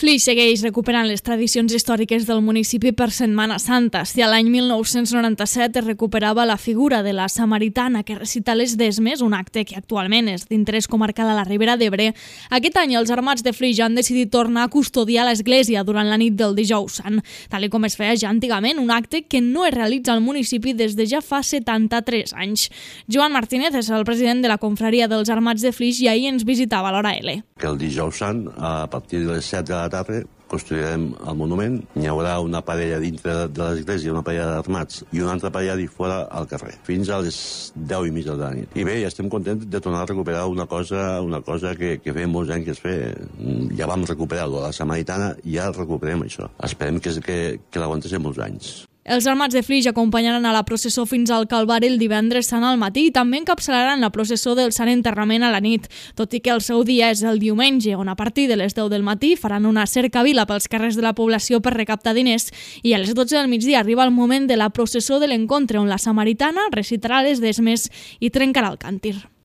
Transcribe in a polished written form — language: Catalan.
Flix segueix recuperant les tradicions històriques del municipi per Setmana Santa. Si a l'any 1997 es recuperava la figura de la samaritana que recita les desmes, un acte que actualment és d'interès comarcal a la Ribera d'Ebre, aquest any els armats de Flix han decidit tornar a custodiar l'església durant la nit del Dijous Sant, tal com es feia ja antigament, un acte que no es realitza al municipi des de ja fa 73 anys. Joan Martínez és el president de la confraria dels armats de Flix i ahir ens visitava a l'Hora L. Que el Dijous Sant, a partir de les 7 de la tarda, construirem el monument. Hi haurà una parella dintre de l'església, una parella d'armats, i una altra parella fora al carrer, fins a les 10:30 de la nit. I bé, ja estem contents de tornar a recuperar una cosa que feia molts anys que es feia. Ja vam recuperar la samaritana i ja recuperem això. Esperem que l'aguantéssim molts anys. Els armats de Flix acompanyaran a la processó fins al Calvari el divendres sant al matí i també encapçalaran la processó del Sant Enterrament a la nit, tot i que el seu dia és el diumenge, on a partir de les 10 del matí faran una cercavila pels carrers de la població per recaptar diners i a les 12 del migdia arriba el moment de la processó de l'encontre, on la samaritana recitarà les desmes i trencarà el càntir.